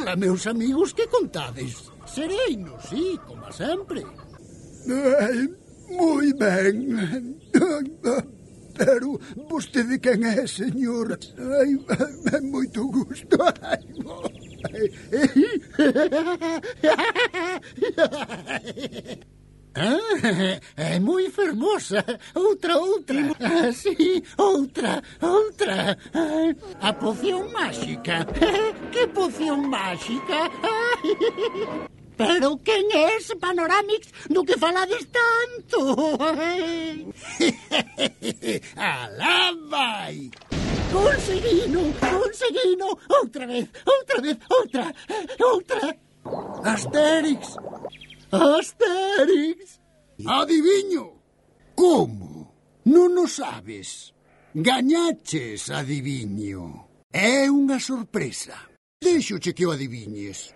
Ora, meus amigos, que contades? Sereino, sí, como sempre. Moi ben. Pero vostede quen é, señor? Ai, moito gusto. É moi fermosa. Outra. Sí, outra. A poción máxica. Que poción máxica? Pero quen é ese Panoramix do que falades tanto? Alá vai! Conseguino! Outra vez! Astérix! Adiviño! Como? Non o sabes? Gañaches, adiviño. É unha sorpresa. Déixoche que o adiviñes.